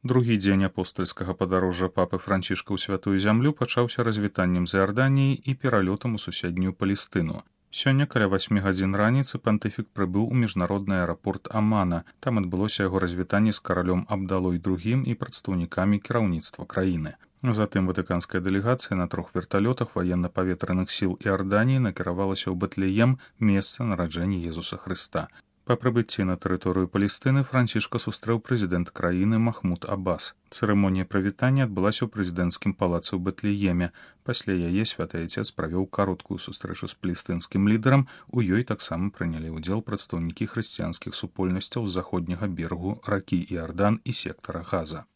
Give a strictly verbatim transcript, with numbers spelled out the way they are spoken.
Другі дзень апостальскага падарожжа папы Францішка ў святую зямлю пачаўся развітаннем з Іарданіяй і пералётам у суседнюю Палестыну. Сёння каля васьмі гадзін раніцы пантыфік прыбыў у міжнародны аэрапорт Амана. Там адбылося яго развітанне з каралём Абдалой другім і прадстаўнікамі кіраўніцтва краіны. Затым ватыканская дэлегацыя на трох верталётах ваенна-паветраных сіл Іарданіі накіравалася ў Бэтлеем, месца нараджэння Езуса Хрыста. Па прыбыцці на тэрыторыю Палестыны Францішка сустрэў прэзідэнт краіны Махмуд Аббас. Цырымонія прывітання адбылася ў прэзідэнцкім палацы ў Бэтлееме. Пасля яе святы Айцец правёў кароткую сустрэчу з палестынскім лідарам. У ёй таксама прынялі ўдзел прадстаўнікі хрысціянскіх супольнасцяў з заходняга берагу ракі Іардан і сектара Газа.